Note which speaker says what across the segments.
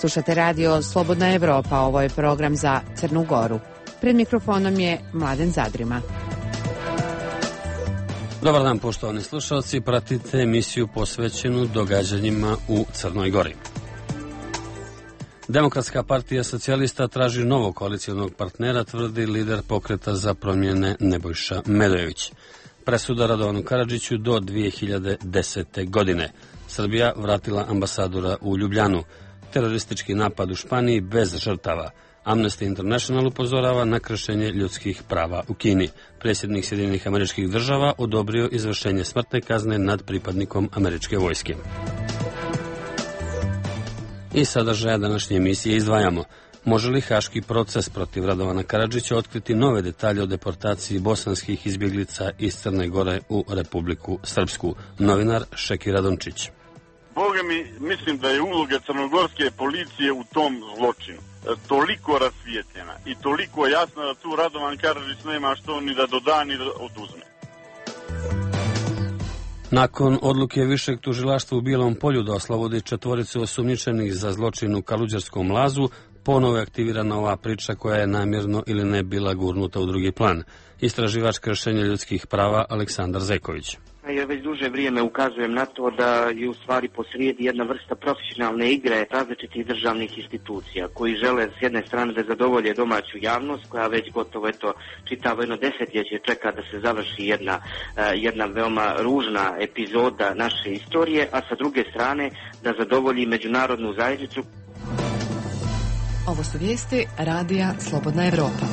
Speaker 1: Slušate radio Slobodna Evropa, ovo je program za Crnu Goru. Pred mikrofonom je Mladen Zadrima.
Speaker 2: Dobar dan, poštovani slušalci, pratite emisiju posvećenu događanjima u Crnoj Gori. Demokratska partija socijalista traži novog koalicionog partnera, tvrdi lider Pokreta za promjene Nebojša Medojević. Presuda Radovanu Karadžiću do 2010. godine. Srbija vratila ambasadora u Ljubljanu. Teroristički napad u Španiji bez žrtava. Amnesty International upozorava na kršenje ljudskih prava u Kini. Predsjednik Sjedinjenih Američkih Država odobrio izvršenje smrtne kazne nad pripadnikom američke vojske. I sadržaja današnje emisije izdvajamo. Može li haški proces protiv Radovana Karadžića otkriti nove detalje o deportaciji bosanskih izbjeglica iz Crne Gore u Republiku Srpsku? Novinar Šeki Radončić.
Speaker 3: Boga mi, mislim da je uloga crnogorske policije u tom zločinu toliko rasvijetljena i toliko jasna da tu Radovan Karadžić nema što ni da doda ni da oduzme.
Speaker 2: Nakon odluke Višeg tužilaštva u Bijelom Polju da oslobodi četvoricu osumnjičenih za zločin u Kaluđerskom lazu, ponovo je aktivirana ova priča koja je namjerno ili ne bila gurnuta u drugi plan. Istraživač kršenja ljudskih prava Aleksandar Zeković.
Speaker 4: Ja već duže vrijeme ukazujem na to da je u stvari posrijedi jedna vrsta profesionalne igre različitih državnih institucija koji žele s jedne strane da zadovolje domaću javnost koja već gotovo čitavo jedno desetljeće čeka da se završi jedna veoma ružna epizoda naše istorije, a sa druge strane da zadovolji međunarodnu zajednicu.
Speaker 1: Ovo su vijesti radija Slobodna Evropa.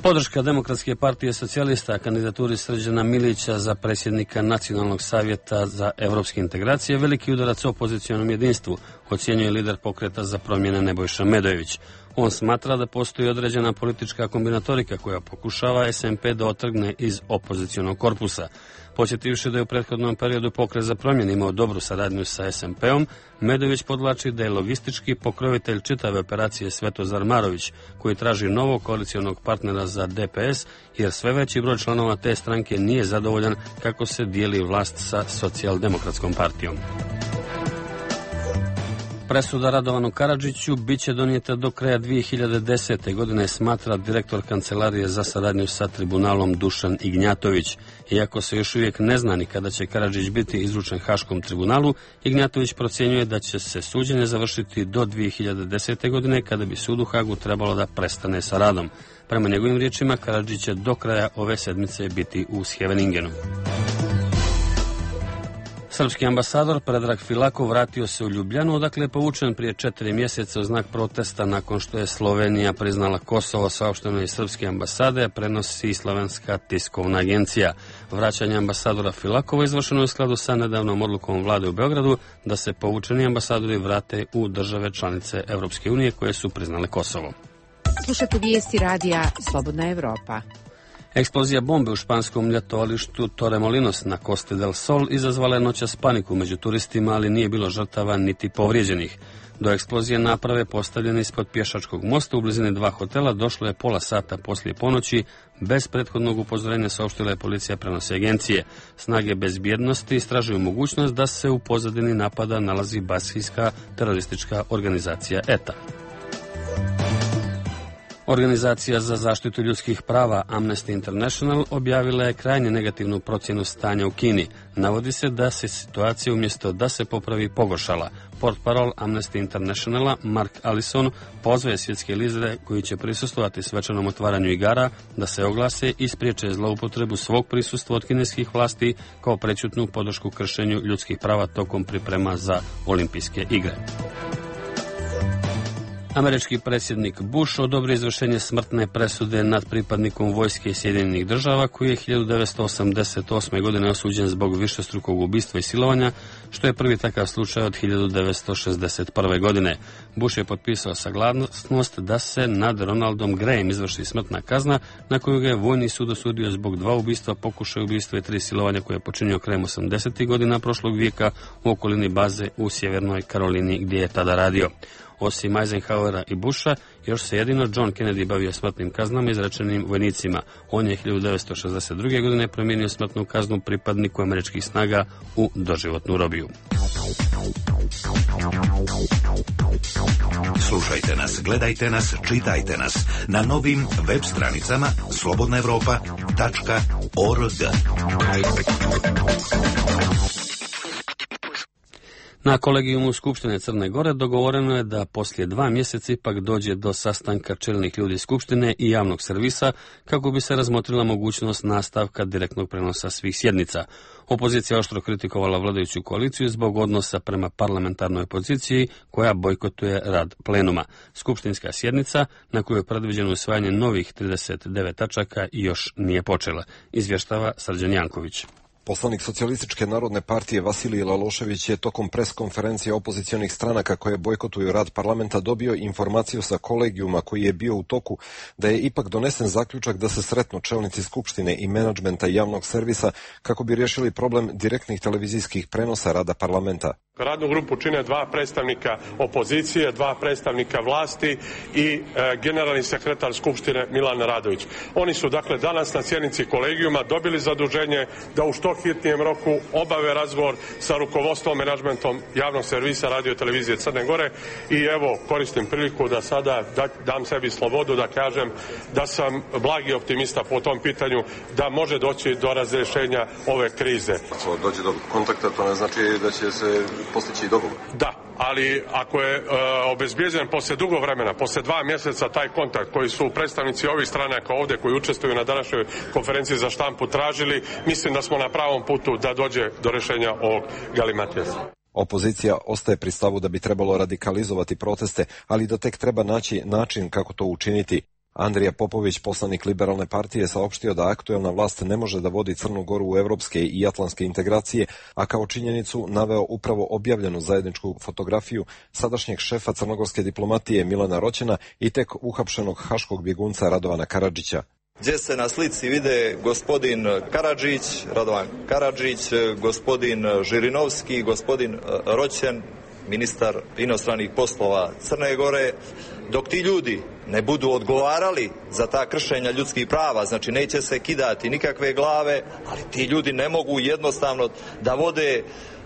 Speaker 2: Podrška Demokratske partije socijalista kandidaturi Srđana Milića za predsjednika Nacionalnog savjeta za evropske integracije veliki udarac opozicionom jedinstvu, ocjenjuje lider Pokreta za promjene Nebojša Medojević. On smatra da postoji određena politička kombinatorika koja pokušava SMP da otrgne iz opozicionog korpusa. Podsjetivši da je u prethodnom periodu Pokret za promjene imao dobru saradnju sa SMP-om, Medojević podvlači da je logistički pokrovitelj čitave operacije Svetozar Marović, koji traži novog koalicionog partnera za DPS, jer sve veći broj članova te stranke nije zadovoljan kako se dijeli vlast sa socijaldemokratskom partijom. Presuda Radovanu Karadžiću biće donijeta do kraja 2010. godine, smatra direktor Kancelarije za saradnju sa tribunalom Dušan Ignjatović. Iako se još uvijek ne zna ni kada će Karadžić biti izručen Haškom tribunalu, Ignjatović procjenjuje da će se suđenje završiti do 2010. godine, kada bi sud u Hagu trebalo da prestane sa radom. Prema njegovim riječima, Karadžić će do kraja ove sedmice biti u Scheveningenu. Srpski ambasador Predrag Filakov vratio se u Ljubljanu, odakle je povučen prije 4 mjeseca u znak protesta nakon što je Slovenija priznala Kosovo, saopšteno iz srpske ambasade, prenosi Slovenska tiskovna agencija. Vraćanje ambasadora Filakova izvršeno je u skladu sa nedavnom odlukom vlade u Beogradu da se povučeni ambasadori vrate u države članice Europske unije koje su priznale Kosovo.
Speaker 1: Slušate vijesti radija Slobodna Evropa.
Speaker 2: Eksplozija bombe u španskom ljetovalištu Torremolinos na Costa del Sol izazvala je noćas paniku među turistima, ali nije bilo žrtava niti povrijeđenih. Do eksplozije naprave postavljene ispod pješačkog mosta u blizini 2 hotela došlo je pola sata poslije ponoći. Bez prethodnog upozorenja saopštila je policija, prenose agencije. Snage bezbjednosti istražuju mogućnost da se u pozadini napada nalazi baskijska teroristička organizacija ETA. Organizacija za zaštitu ljudskih prava Amnesty International objavila je krajnje negativnu procjenu stanja u Kini. Navodi se da se situacija umjesto da se popravi pogoršala. Portparol Amnesty Internationala Mark Allison pozvaje svjetske lidere koji će prisustvovati svečanom otvaranju igara da se oglase i spriječe zloupotrebu svog prisustva od kineskih vlasti kao prečutnu podršku kršenju ljudskih prava tokom priprema za olimpijske igre. Američki predsjednik Bush odobrio izvršenje smrtne presude nad pripadnikom vojske Sjedinjenih Država koji je 1988. godine osuđen zbog višestrukog ubistva i silovanja, što je prvi takav slučaj od 1961. godine. Bush je potpisao saglasnost da se nad Ronaldom Grayem izvrši smrtna kazna, na koju ga je vojni sud osudio zbog 2 ubistva, pokušaja ubistva i 3 silovanja koje je počinio krajem 80. godina prošlog vijeka u okolini baze u Sjevernoj Karolini gdje je tada radio. Osim Eisenhowera i Busha, još se jedino John Kennedy bavio smrtnim kaznama izrečenim vojnicima. On je 1962. godine promijenio smrtnu kaznu pripadniku američkih snaga u doživotnu robiju.
Speaker 5: Slušajte nas, gledajte nas, čitajte nas na novim web stranicama slobodnaevropa.org.
Speaker 2: Na kolegijumu Skupštine Crne Gore dogovoreno je da poslije 2 mjeseca ipak dođe do sastanka čelnih ljudi Skupštine i javnog servisa kako bi se razmotrila mogućnost nastavka direktnog prenosa svih sjednica. Opozicija oštro kritikovala vladajuću koaliciju zbog odnosa prema parlamentarnoj opoziciji koja bojkotuje rad plenuma. Skupštinska sjednica, na kojoj je predviđeno usvajanje novih 39 tačaka, još nije počela, izvještava Srđan Janković.
Speaker 6: Poslanik Socijalističke narodne partije Vasilij Lalošević je tokom pres konferencije opozicionih stranaka koje bojkotuju rad parlamenta dobio informaciju sa kolegijuma koji je bio u toku da je ipak donesen zaključak da se sretnu čelnici Skupštine i menadžmenta javnog servisa kako bi riješili problem direktnih televizijskih prenosa rada parlamenta.
Speaker 7: Radnu grupu čine 2 predstavnika opozicije, 2 predstavnika vlasti i generalni sekretar Skupštine Milan Radović. Oni su dakle danas na sjednici kolegijuma dobili zaduženje da u što hitnijem roku obave razgovor sa rukovodstvom, menadžmentom javnog servisa radio televizije Crne Gore i evo koristim priliku da sada dam sebi slobodu da kažem da sam blagi optimista po tom pitanju da može doći do razrješenja ove krize.
Speaker 6: Ako dođe do kontakta, to ne znači da će se postići dogovor.
Speaker 7: Da, ali ako je obezbijeđen posle dugo vremena, posle 2 mjeseca taj kontakt koji su predstavnici ovih stranaka ovdje koji učestvuju na današnjoj konferenciji za štampu tražili, mislim da smo na pravom putu da dođe do rješenja ovog galimatijesa.
Speaker 6: Opozicija ostaje pri stavu da bi trebalo radikalizovati proteste, ali da tek treba naći način kako to učiniti. Andrija Popović, poslanik Liberalne partije, saopštio da aktuelna vlast ne može da vodi Crnu Goru u evropske i atlantske integracije, a kao činjenicu naveo upravo objavljenu zajedničku fotografiju sadašnjeg šefa crnogorske diplomatije Milana Roćena i tek uhapšenog haškog bjegunca Radovana Karadžića.
Speaker 8: Gdje se na slici vide gospodin Karadžić, Radovan Karadžić, gospodin Žirinovski, gospodin Roćen, ministar inostranih poslova Crne Gore, dok ti ljudi ne budu odgovarali za ta kršenja ljudskih prava, znači neće se kidati nikakve glave, ali ti ljudi ne mogu jednostavno da vode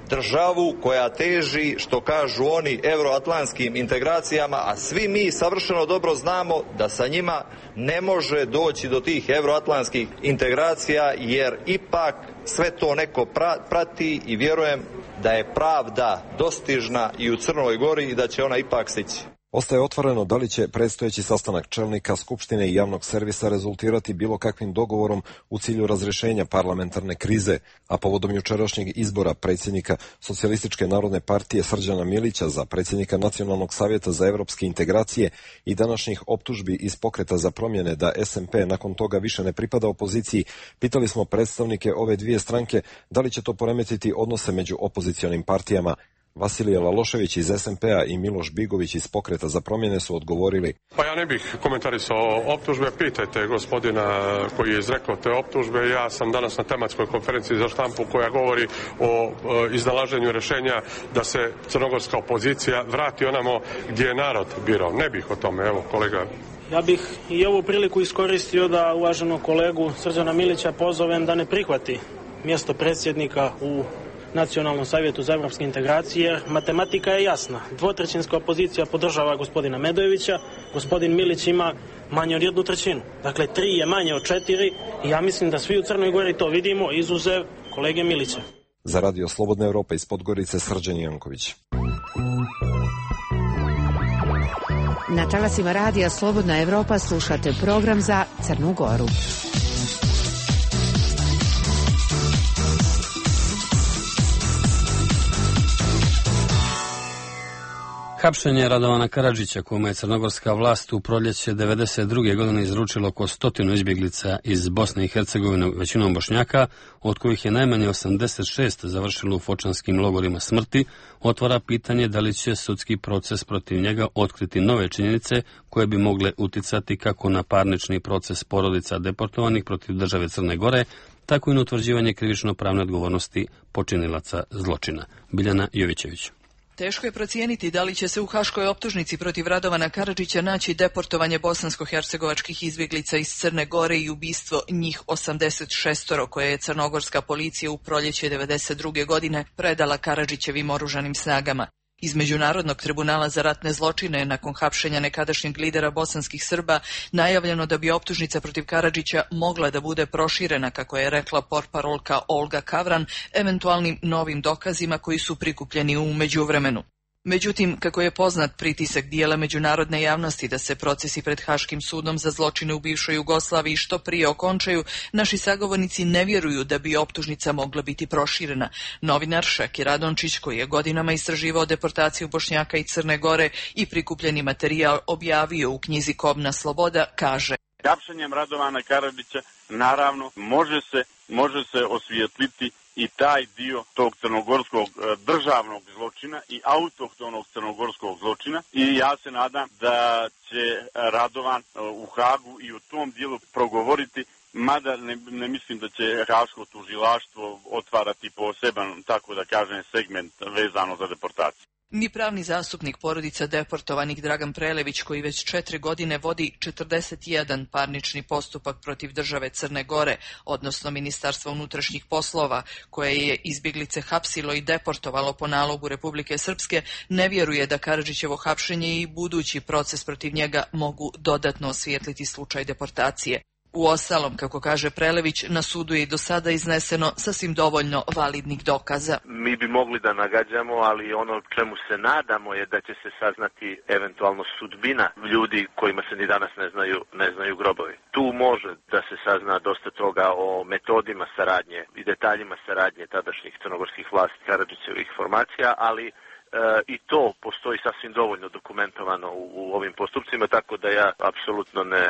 Speaker 8: državu koja teži, što kažu oni, euroatlantskim integracijama, a svi mi savršeno dobro znamo da sa njima ne može doći do tih euroatlantskih integracija, jer ipak sve to neko prati i vjerujem da je pravda dostižna i u Crnoj Gori i da će ona ipak stići.
Speaker 6: Ostaje otvoreno da li će predstojeći sastanak čelnika Skupštine i javnog servisa rezultirati bilo kakvim dogovorom u cilju razrješenja parlamentarne krize, a povodom jučerašnjeg izbora predsjednika Socijalističke narodne partije Srđana Milića za predsjednika Nacionalnog savjeta za evropske integracije i današnjih optužbi iz Pokreta za promjene da SMP nakon toga više ne pripada opoziciji, pitali smo predstavnike ove dvije stranke da li će to poremetiti odnose među opozicionim partijama. Vasilij Lalošević iz SMP-a i Miloš Bigović iz Pokreta za promjene su odgovorili:
Speaker 7: Pa ja ne bih komentarisao optužbe, pitajte gospodina koji je izrekao te optužbe. Ja sam danas na tematskoj konferenciji za štampu koja govori o iznalaženju rješenja da se crnogorska opozicija vrati onamo gdje je narod birao. Ne bih o tome, evo kolega.
Speaker 9: Ja bih i ovu priliku iskoristio da uvaženog kolegu Srđana Milića pozovem da ne prihvati mjesto predsjednika u Nacionalnom savjetu za evropske integracije, jer matematika je jasna. 2/3 opozicija podržava gospodina Medojevića, gospodin Milić ima manje od 1/3. Dakle, 3 je manje od 4 i ja mislim da svi u Crnoj Gori to vidimo, izuzev kolege Milića.
Speaker 6: Za Radio Slobodna Evropa iz Podgorice, Srđan Janković.
Speaker 1: Na talasima Radija Slobodna Evropa slušate program za Crnu Goru.
Speaker 2: Hapšenje Radovana Karadžića, kome je crnogorska vlast u proljeće 1992. godine izručilo oko 100 izbjeglica iz Bosne i Hercegovine, većinom Bošnjaka, od kojih je najmanje 86 završilo u fočanskim logorima smrti, otvara pitanje da li će sudski proces protiv njega otkriti nove činjenice koje bi mogle uticati kako na parnični proces porodica deportovanih protiv države Crne Gore, tako i na utvrđivanje krivično-pravne odgovornosti počinilaca zločina. Biljana Jovićević.
Speaker 10: Teško je procijeniti da li će se u haškoj optužnici protiv Radovana Karadžića naći deportovanje bosansko-hercegovačkih izbjeglica iz Crne Gore i ubistvo njih 86 koje je crnogorska policija u proljeće 1992. godine predala Karadžićevim oružanim snagama. Iz Međunarodnog tribunala za ratne zločine nakon hapšenja nekadašnjeg lidera bosanskih Srba najavljeno da bi optužnica protiv Karadžića mogla da bude proširena, kako je rekla portparolka Olga Kavran, eventualnim novim dokazima koji su prikupljeni u međuvremenu. Međutim, kako je poznat, pritisak dijela međunarodne javnosti da se procesi pred Haškim sudom za zločine u bivšoj Jugoslaviji što prije okončaju, naši sagovornici ne vjeruju da bi optužnica mogla biti proširena. Novinar Šaki Radončić, koji je godinama istraživao deportaciju Bošnjaka i Crne Gore i prikupljeni materijal objavio u knjizi Kobna sloboda, kaže:
Speaker 3: Hapšenjem Radovana Karadžića naravno može se osvijetliti i taj dio tog crnogorskog državnog zločina i autohtonog crnogorskog zločina, i ja se nadam da će Radovan u Hagu i u tom dijelu progovoriti, mada ne mislim da će Haško tužilaštvo otvarati poseban, tako da kažem, segment vezano za deportaciju.
Speaker 10: Ni pravni zastupnik porodica deportovanih Dragan Prelević, koji već 4 godine vodi 41 parnični postupak protiv države Crne Gore, odnosno Ministarstva unutrašnjih poslova, koje je izbjeglice hapsilo i deportovalo po nalogu Republike Srpske, ne vjeruje da Karadžićevo hapšenje i budući proces protiv njega mogu dodatno osvijetliti slučaj deportacije. Uostalom, kako kaže Prelević, na sudu je i do sada izneseno sasvim dovoljno validnih dokaza.
Speaker 11: Mi bi mogli da nagađamo, ali ono čemu se nadamo je da će se saznati eventualno sudbina ljudi kojima se ni danas ne znaju grobovi. Tu može da se sazna dosta toga o metodima saradnje i detaljima saradnje tadašnjih crnogorskih vlasti Karadžićevih formacija, ali i to postoji sasvim dovoljno dokumentovano u ovim postupcima, tako da ja apsolutno ne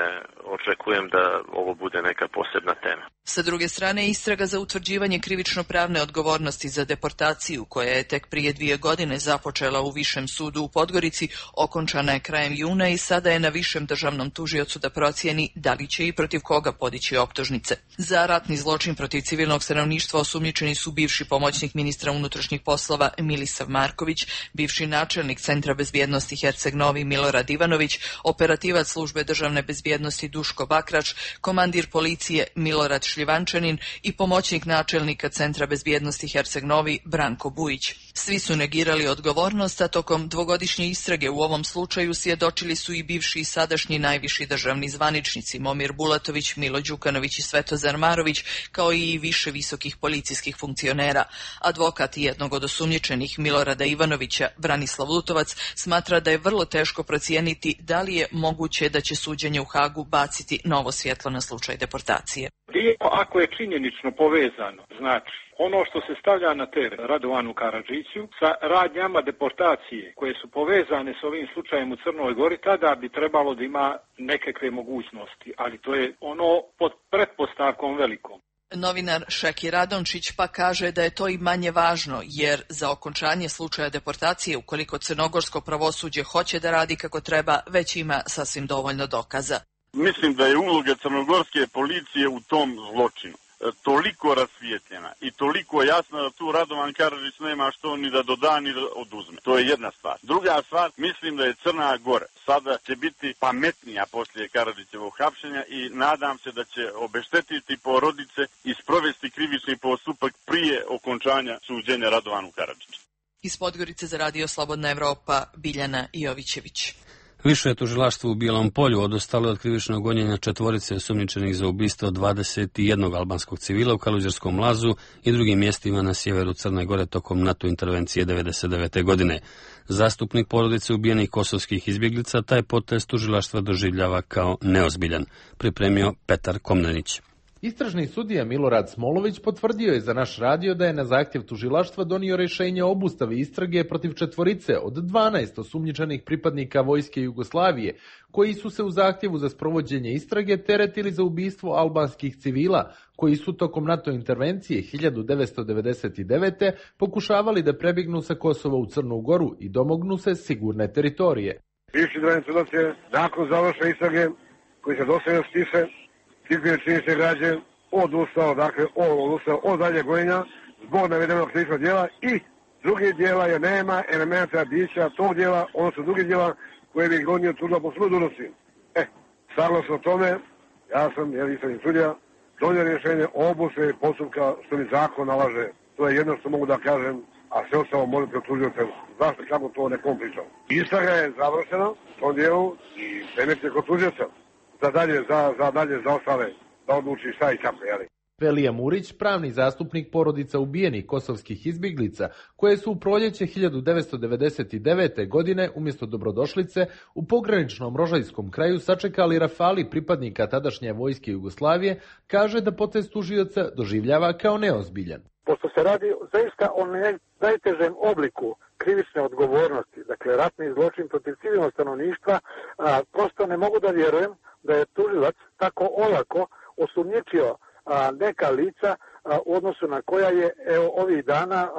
Speaker 11: očekujem da ovo bude neka posebna tema.
Speaker 10: Sa druge strane, istraga za utvrđivanje krivično-pravne odgovornosti za deportaciju, koja je tek prije 2 godine započela u Višem sudu u Podgorici, okončana je krajem juna i sada je na Višem državnom tužiocu da procijeni da li će i protiv koga podići optužnice. Za ratni zločin protiv civilnog stanovništva osumnjičeni su bivši pomoćnik ministra unutrašnjih poslova Milisav Marković, bivši načelnik Centra bezbjednosti Herceg Novi Milorad Ivanović, operativac službe državne bezbjednosti Duško Bakrač, komandir policije Milorad Šljivančanin i pomoćnik načelnika Centra bezbjednosti Herceg Novi Branko Bujić. Svi su negirali odgovornost, a tokom 2-godišnje istrage u ovom slučaju svjedočili su i bivši i sadašnji najviši državni zvaničnici Momir Bulatović, Milo Đukanović i Svetozar Marović, kao i više visokih policijskih funkcionera. Advokat jednog od osumnjičenih, Milorada Ivanovića, Branislav Lutovac, smatra da je vrlo teško procijeniti da li je moguće da će suđenje u Hagu baciti novo svjetlo na slučaj deportacije.
Speaker 12: Ako je činjenično povezano, znači ono što se stavlja na teret Radovanu Karadžiću sa radnjama deportacije koje su povezane s ovim slučajem u Crnoj Gori, tada bi trebalo da ima nekakve mogućnosti, ali to je ono pod pretpostavkom velikom.
Speaker 10: Novinar Šeki Radončić pa kaže da je to i manje važno, jer za okončanje slučaja deportacije, ukoliko crnogorsko pravosuđe hoće da radi kako treba, već ima sasvim dovoljno dokaza.
Speaker 3: Mislim da je uloga crnogorske policije u tom zločinu toliko rasvijetljena i toliko jasna da tu Radovan Karadžić nema što ni da doda ni da oduzme. To je jedna stvar. Druga stvar, mislim da je Crna Gora sada će biti pametnija poslije Karadžićevog hapšenja i nadam se da će obeštetiti porodice i sprovesti krivični postupak prije okončanja suđenja Radovanu Karadžiću.
Speaker 10: Iz Podgorice za Radio Slobodna Evropa, Biljana Jovićević.
Speaker 2: Više je tužilaštvo u Bijelom Polju odustalo od krivičnog gonjenja 4 osumnjičenih za ubistvo 21 albanskog civila u Kaluđerskom Lazu i drugim mjestima na sjeveru Crne Gore tokom NATO intervencije 1999. godine. Zastupnik porodice ubijenih kosovskih izbjeglica taj potez tužilaštva doživljava kao neozbiljan, pripremio Petar Komnenić.
Speaker 13: Istražni sudija Milorad Smolović potvrdio je za naš radio da je na zahtjev tužilaštva donio rješenje o obustavi istrage protiv 4 od 12 osumnjičenih pripadnika Vojske Jugoslavije, koji su se u zahtjevu za sprovođenje istrage teretili za ubistvo albanskih civila, koji su tokom NATO intervencije 1999. pokušavali da prebjegnu sa Kosova u Crnu Goru i domognu se sigurne teritorije.
Speaker 14: Bivši državni sudac je nakon završene istrage, koji se dosta stiše, izbio činjenične građe, odustao od dalje gonjenja zbog navedenog krivičnog djela i drugih djela jer nema elementa bića tog djela, odnosno drugih djela koje bi gonio tužba po svojoj dužnosti. Saglasno tome, ja sam, istražni sudija, donio rješenje o obustavi postupka što mi zakon nalaže. To je jedno što mogu da kažem a sve ostalo može pred tužioce. Zašto, kako to nekom pričao? Istraga je završena u tom dijelu i predmet je kod tužioca za ostale da odluči šta i kako, jeli.
Speaker 13: Velija Murić, pravni zastupnik porodica ubijenih kosovskih izbjeglica, koje su u proljeće 1999. godine umjesto dobrodošlice u pograničnom rožajskom kraju sačekali rafali pripadnika tadašnje vojske Jugoslavije, kaže da potez tužioca doživljava kao neozbiljan.
Speaker 15: Pošto se radi zaista o najtežem obliku krivične odgovornosti, dakle ratni zločin protiv civilnog stanovništva, prosto ne mogu da vjerujem da je tužilac tako olako osumnjičio neka lica u odnosu na koja je ovih dana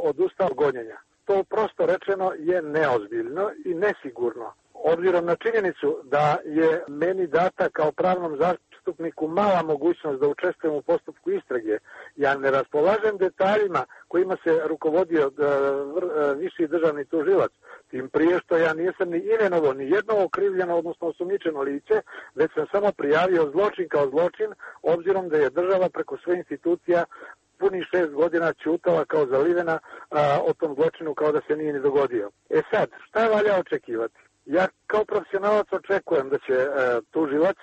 Speaker 15: odustao gonjenja. To prosto rečeno je neozbiljno i nesigurno. Obzirom na činjenicu da je meni data kao pravnom zastupniku mala mogućnost da učestvujem u postupku istrage, ja ne raspolažem detaljima kojima se rukovodio viši državni tužilac, tim prije što ja nisam ni imenovao ni jedno okrivljeno, odnosno osumnjičeno lice, već sam samo prijavio zločin kao zločin, obzirom da je država preko svojih institucija punih 6 godina ćutala kao zalivena o tom zločinu kao da se nije ni dogodio. Sad, šta valja očekivati? Ja kao profesionalac očekujem da će tužilac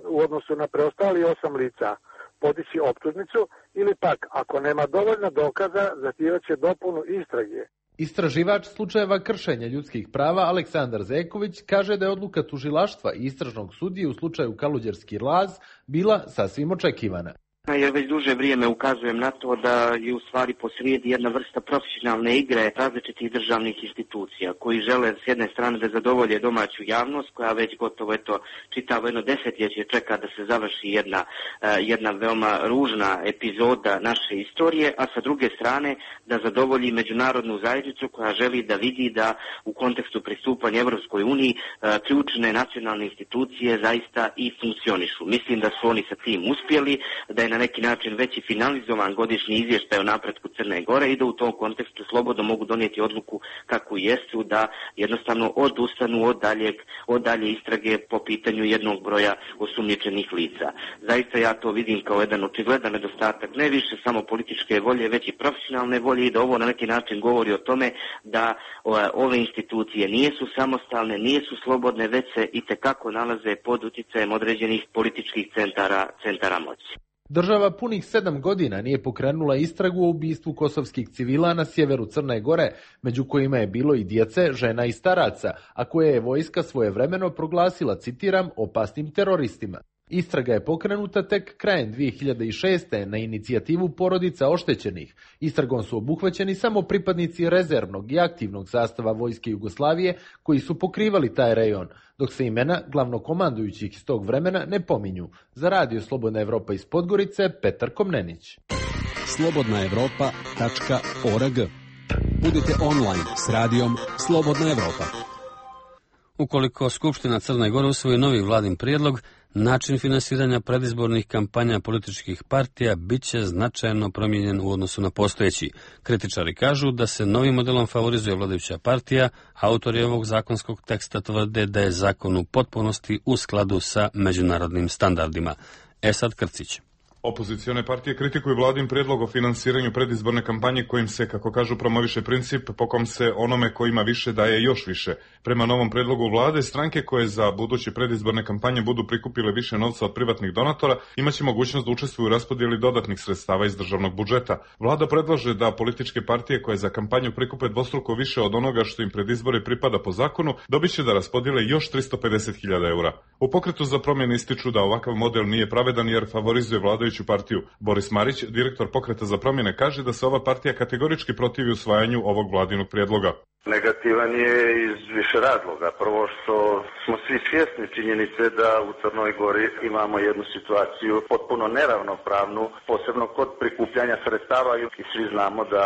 Speaker 15: u odnosu na preostali 8 lica podići optužnicu ili pak, ako nema dovoljno dokaza, zahtijevaće dopunu istrage.
Speaker 13: Istraživač slučajeva kršenja ljudskih prava Aleksandar Zeković kaže da je odluka tužilaštva i istražnog sudije u slučaju Kaluđerski laz bila sasvim očekivana.
Speaker 4: Jer već duže vrijeme ukazujem na to da je u stvari posrijedi jedna vrsta profesionalne igre različitih državnih institucija koji žele s jedne strane da zadovolje domaću javnost koja već gotovo čitavo jedno desetljeće čeka da se završi jedna veoma ružna epizoda naše istorije, a sa druge strane da zadovolji međunarodnu zajednicu koja želi da vidi da u kontekstu pristupanja Evropskoj uniji ključne nacionalne institucije zaista i funkcionišu. Mislim da su oni sa tim uspjeli, da je na neki način već i finalizovan godišnji izvještaj o napretku Crne Gore i da u tom kontekstu slobodno mogu donijeti odluku kakvu jesu, da jednostavno odustanu od dalje istrage po pitanju jednog broja osumnjičenih lica. Zaista ja to vidim kao jedan očigledan nedostatak, ne više samo političke volje, već i profesionalne volje i da ovo na neki način govori o tome da ove institucije nisu samostalne, nisu slobodne, već se itekako nalaze pod utjecajem određenih političkih centara moći.
Speaker 13: Država punih 7 godina nije pokrenula istragu o ubistvu kosovskih civila na sjeveru Crne Gore, među kojima je bilo i djece, žena i staraca, a koje je vojska svojevremeno proglasila, citiram, opasnim teroristima. Istraga je pokrenuta tek krajem 2006. na inicijativu porodica oštećenih. Istragom su obuhvaćeni samo pripadnici rezervnog i aktivnog sastava vojske Jugoslavije koji su pokrivali taj rejon, dok se imena glavnokomandujućih iz tog vremena ne pominju. Za Radio Slobodna Evropa iz Podgorice, Petar Komnenić.
Speaker 16: slobodnaevropa.org. Budite online s radijom Slobodna Evropa.
Speaker 2: Ukoliko Skupština Crne Gore usvoji novi vladin prijedlog, način finansiranja predizbornih kampanja političkih partija bit će značajno promijenjen u odnosu na postojeći. Kritičari kažu da se novim modelom favorizuje vladajuća partija, autori ovog zakonskog teksta tvrde da je zakon u potpunosti u skladu sa međunarodnim standardima. Esad Krcić.
Speaker 17: Opozicione partije kritikuju vladin prijedlog o finansiranju predizborne kampanje kojim se, kako kažu, promoviše princip po kom se onome ko ima više daje još više. Prema novom prijedlogu vlade, stranke koje za buduće predizborne kampanje budu prikupile više novca od privatnih donatora imaće mogućnost da učestvuju u raspodjeli dodatnih sredstava iz državnog budžeta. Vlada predlaže da političke partije koje za kampanju prikupe dvostruko više od onoga što im pred izbore pripada po zakonu, dobiće da raspodijele još 350.000 eura. U Pokretu za promjene ističu da ovakav model nije pravedan jer favorizuje vladajuću partiju. Boris Marić, direktor Pokreta za promjene, kaže da se ova partija kategorički protivi usvajanju ovog vladinog prijedloga.
Speaker 18: Negativan je iz više razloga. Prvo što smo svi svjesni činjenice da u Crnoj Gori imamo jednu situaciju potpuno neravnopravnu, posebno kod prikupljanja sredstava i svi znamo da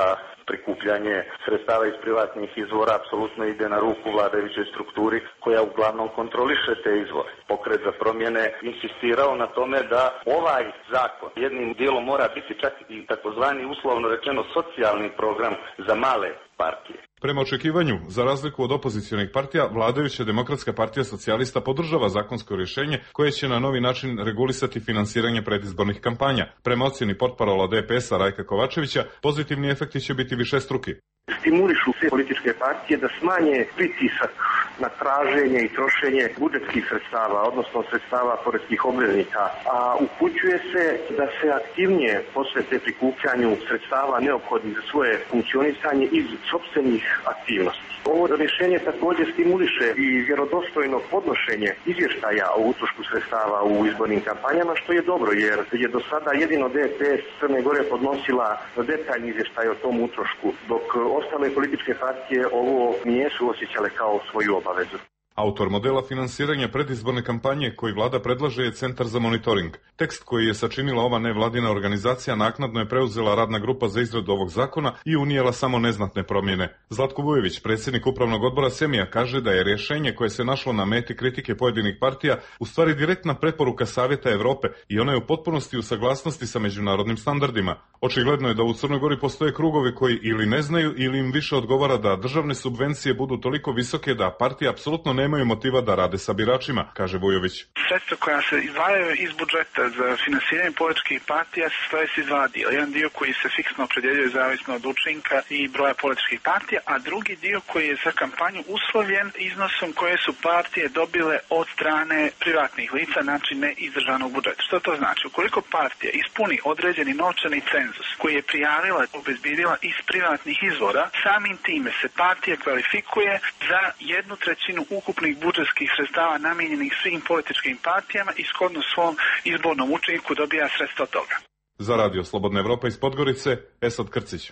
Speaker 18: prikupljanje sredstava iz privatnih izvora apsolutno ide na ruku vladajućoj strukturi koja uglavnom kontroliše te izvore. Pokret za promjene insistirao na tome da ovaj zakon jednim dijelom mora biti čak i takozvani uslovno rečeno socijalni program za male partije.
Speaker 17: Prema očekivanju, za razliku od opozicionih partija, vladajuća Demokratska partija socijalista podržava zakonsko rješenje koje će na novi način regulisati finansiranje predizbornih kampanja. Prema ocjeni portparola DPS-a Rajka Kovačevića, pozitivni efekti će biti višestruki.
Speaker 19: stimulišu sve političke partije da smanje pritisak na traženje i trošenje budžetskih sredstava, odnosno sredstava poreskih obveznika, a upućuje se da se aktivnije posvete prikupljanju sredstava neophodnih za svoje funkcionisanje iz sopstvenih aktivnosti. Ovo rješenje također stimuliše i vjerodostojno podnošenje izvještaja o utrošku sredstava u izbornim kampanjama, što je dobro, jer je do sada jedino DPS Crne Gore podnosila detaljni izvještaj o tom utrošku, dok ostale političke partije ovo nisu osjećale kao svoju obavezu.
Speaker 17: Autor modela finansiranja predizborne kampanje koji vlada predlaže je Centar za monitoring. Tekst koji je sačinila ova nevladina organizacija naknadno je preuzela radna grupa za izradu ovog zakona i unijela samo neznatne promjene. Zlatko Vujović, predsjednik upravnog odbora Semija, kaže da je rješenje koje se našlo na meti kritike pojedinih partija u stvari direktna preporuka Savjeta Europe i ona je u potpunosti u saglasnosti sa međunarodnim standardima. Očigledno je da u Crnoj Gori postoje krugovi koji ili ne znaju ili im više odgovara da državne subvencije budu toliko visoke da partije apsolutno nemaju motiva da rade sa biračima, kaže Vujović.
Speaker 20: Sredstva koja se izdvajaju iz budžeta za finansiranje političkih partija se stoje iz dva dio. Jedan dio koji se fiksno opredjeljuje zavisno od učinka i broja političkih partija, a drugi dio koji je za kampanju uslovljen iznosom koje su partije dobile od strane privatnih lica, znači ne iz državnog budžeta. Što to znači? Ukoliko partija ispuni određeni novčani cenzus koji je prijavila, obezbedila iz privatnih izvora, samim time se partija kvalifikuje za 1/3 ukupnih budžetskih sredstava namijenjenih svim političkim partijama i shodno svom izbornom učinku dobija sredstva od toga.
Speaker 17: Za Radio Slobodna Evropa iz Podgorice, Esad Krcić.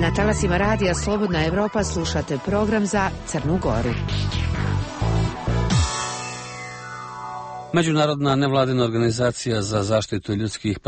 Speaker 1: Na talasima Radija Slobodna Evropa slušate program za Crnu Goru.
Speaker 2: Međunarodna nevladina organizacija za zaštitu ljudskih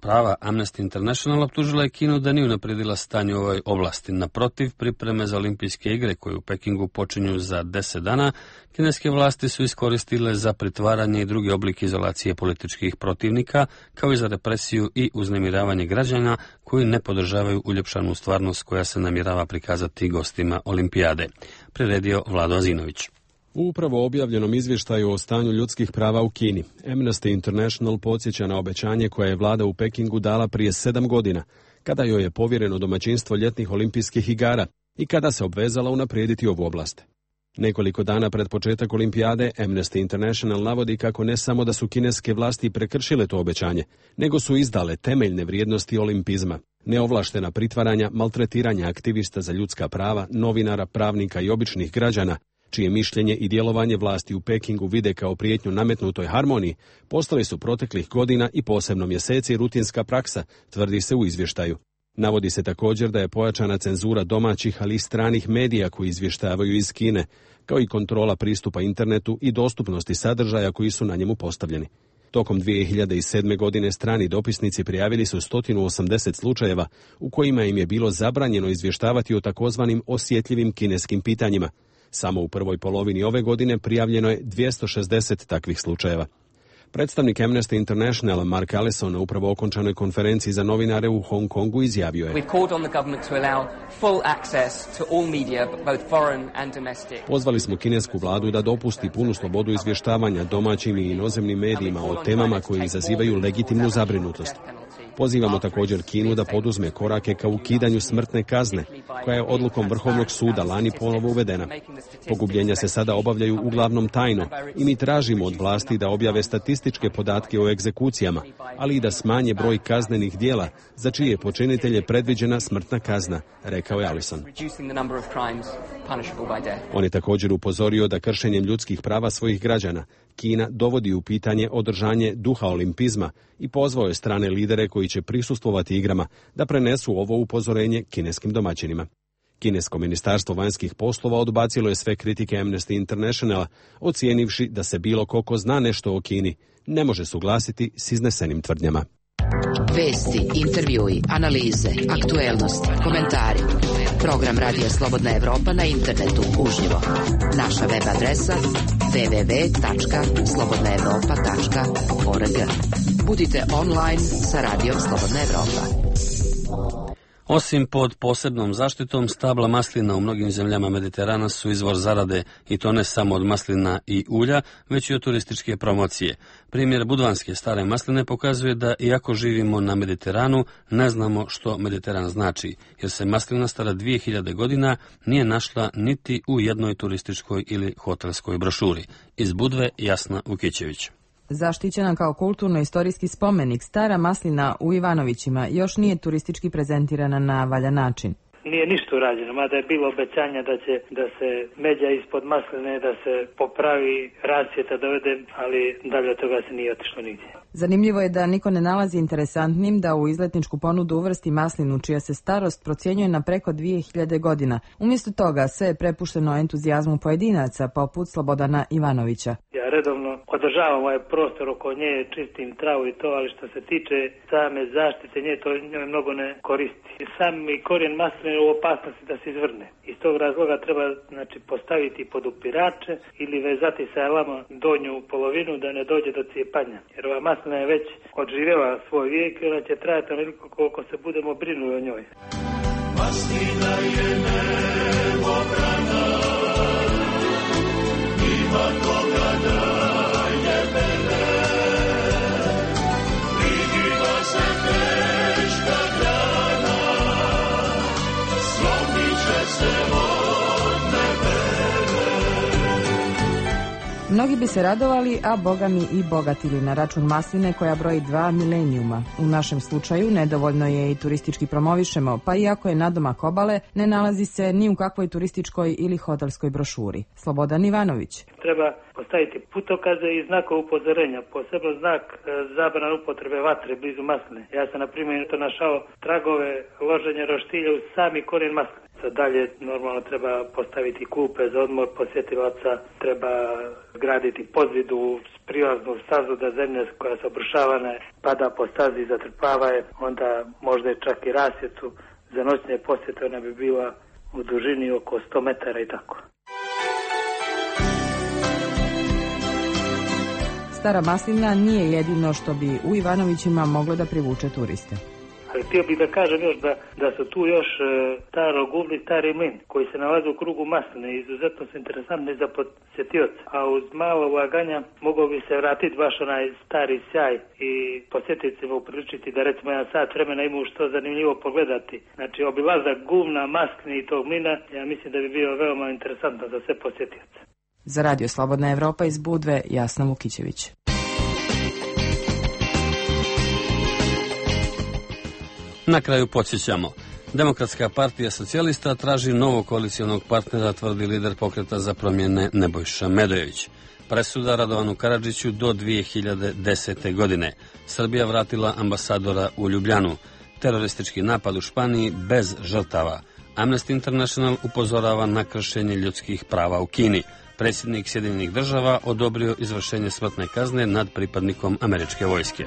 Speaker 2: prava Amnesty International optužila je Kinu da nije unaprijedila stanje u ovoj oblasti. Naprotiv, pripreme za olimpijske igre koje u Pekingu počinju za 10 dana, kineske vlasti su iskoristile za pritvaranje i drugi oblik izolacije političkih protivnika, kao i za represiju i uznemiravanje građana koji ne podržavaju uljepšanu stvarnost koja se namjerava prikazati gostima olimpijade. Priredio Vlado Azinović.
Speaker 16: U upravo objavljenom izvještaju o stanju ljudskih prava u Kini, Amnesty International podsjeća na obećanje koje je vlada u Pekingu dala prije 7 godina, kada joj je povjereno domaćinstvo ljetnih olimpijskih igara i kada se obvezala unaprijediti ovu oblast. Nekoliko dana pred početak olimpijade, Amnesty International navodi kako ne samo da su kineske vlasti prekršile to obećanje, nego su izdale temeljne vrijednosti olimpizma, neovlaštena pritvaranja, maltretiranja aktivista za ljudska prava, novinara, pravnika i običnih građana, čije mišljenje i djelovanje vlasti u Pekingu vide kao prijetnju nametnutoj harmoniji, postali su proteklih godina i posebno mjeseci rutinska praksa, tvrdi se u izvještaju. Navodi se također da je pojačana cenzura domaćih, ali i stranih medija koji izvještavaju iz Kine, kao i kontrola pristupa internetu i dostupnosti sadržaja koji su na njemu postavljeni. Tokom 2007. godine strani dopisnici prijavili su 180 slučajeva u kojima im je bilo zabranjeno izvještavati o takozvanim osjetljivim kineskim pitanjima. Samo u prvoj polovini ove godine prijavljeno je 260 takvih slučajeva. Predstavnik Amnesty International Mark Allison na upravo okončanoj konferenciji za novinare u Hong Kongu izjavio je: Pozvali smo kinesku vladu da dopusti punu slobodu izvještavanja domaćim i inozemnim medijima o temama koje izazivaju legitimnu zabrinutost. Pozivamo također Kinu da poduzme korake ka ukidanju smrtne kazne, koja je odlukom Vrhovnog suda lani ponovo uvedena. Pogubljenja se sada obavljaju uglavnom tajno i mi tražimo od vlasti da objave statističke podatke o egzekucijama, ali i da smanje broj kaznenih djela za čije počinitelje predviđena smrtna kazna, rekao je Allison. On je također upozorio da kršenjem ljudskih prava svojih građana Kina dovodi u pitanje održanje duha olimpizma i pozvao je strane lidere koji će prisustvovati igrama da prenesu ovo upozorenje kineskim domaćinima. Kinesko ministarstvo vanjskih poslova odbacilo je sve kritike Amnesty Internationala, ocijenivši da se bilo ko zna nešto o Kini ne može suglasiti s iznesenim tvrdnjama.
Speaker 1: Vesti, intervjui, analize, aktuelnosti, komentari. Program Radija Slobodna Evropa na internetu uživo. Naša web adresa www.slobodnaevropa.org. Budite online sa Radijom Slobodna Evropa.
Speaker 2: Osim pod posebnom zaštitom, stabla maslina u mnogim zemljama Mediterana su izvor zarade i to ne samo od maslina i ulja, već i od turističke promocije. Primjer budvanske stare masline pokazuje da iako živimo na Mediteranu, ne znamo što Mediteran znači, jer se maslina stara 2000 godina nije našla niti u jednoj turističkoj ili hotelskoj brošuri. Iz Budve Jasna Vukićević.
Speaker 21: Zaštićena kao kulturno-istorijski spomenik, stara maslina u Ivanovićima još nije turistički prezentirana na valjan način.
Speaker 22: Nije ništa urađeno, mada je bilo obećanja da se međa ispod masline, da se popravi, rasvjeta dovede, ali dalje od toga se nije otišlo nigdje.
Speaker 21: Zanimljivo je da niko ne nalazi interesantnim da u izletničku ponudu uvrsti maslinu čija se starost procjenjuje na preko 2000 godina. Umjesto toga sve je prepušteno entuzijazmu pojedinaca poput Slobodana Ivanovića.
Speaker 22: Ja redovno održavam ovaj prostor oko nje, čistim travu i to, ali što se tiče same zaštite nje, to njoj mnogo ne koristi. Sami korijen masline je u opasnosti da se izvrne. Iz tog razloga treba postaviti pod upirače ili vezati sa elama donju polovinu da ne dođe do cijepanja. Jer ova maslina je već odživjela svoj vijek i ona će trajati onoliko koliko se budemo brinuli o njoj. Maslina je nebo brana, ima koga da je bere, prigiva se teška grana, slomit će se od nebere.
Speaker 21: Mnogi bi se radovali, a bogami i bogatili na račun masline koja broji 2 milenijuma. U našem slučaju nedovoljno je i turistički promovišemo, pa iako je nadomak obale, ne nalazi se ni u kakvoj turističkoj ili hotelskoj brošuri. Slobodan Ivanović.
Speaker 22: Treba postaviti putokaze i znakove upozorenja, posebno znak zabrana upotrebe vatre blizu masline. Ja sam, na primjer, to našao tragove loženja roštilja u sami korijen masline. Dalje normalno treba postaviti klupe za odmor posjetilaca, treba graditi podzidu, prilaznu stazu da zemlja koja se obrušavana pada po stazi i zatrpava je, onda možda čak i rasvjetu za noćne posjete, ona bi bila u dužini oko 100 metara i tako.
Speaker 21: Stara maslina nije jedino što bi u Ivanovićima moglo da privuče turiste.
Speaker 22: Ali htio bih da kažem još da su tu još staro guvno i stari mlin koji se nalaze u krugu masline i izuzetno su interesantni za posjetioce. A uz malo ulaganja mogao bi se vratiti baš onaj stari sjaj i posjetiocima upriličiti da recimo 1 sat vremena imaju što zanimljivo pogledati. Znači obilazak guvna, maskne i tog mlina, ja mislim da bi bio veoma interesantno za sve posjetioce.
Speaker 21: Za Radio Slobodna Evropa iz Budve, Jasna Vukićević.
Speaker 2: Na kraju podsjećamo. Demokratska partija socijalista traži novog koalicijonog partnera, tvrdi lider Pokreta za promjene Nebojša Medojević. Presuda Radovanu Karadžiću do 2010. godine. Srbija vratila ambasadora u Ljubljanu. Teroristički napad u Španiji bez žrtava. Amnesty International upozorava na kršenje ljudskih prava u Kini. Predsjednik Sjedinjenih država odobrio izvršenje smrtne kazne nad pripadnikom američke vojske.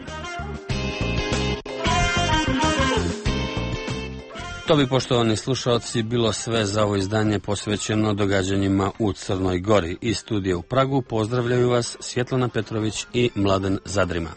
Speaker 2: To bi, poštovani slušalci, bilo sve za ovo izdanje posvećeno događanjima u Crnoj Gori. Iz studija u Pragu pozdravljaju vas Svjetlana Petrović i Mladen Zadrima.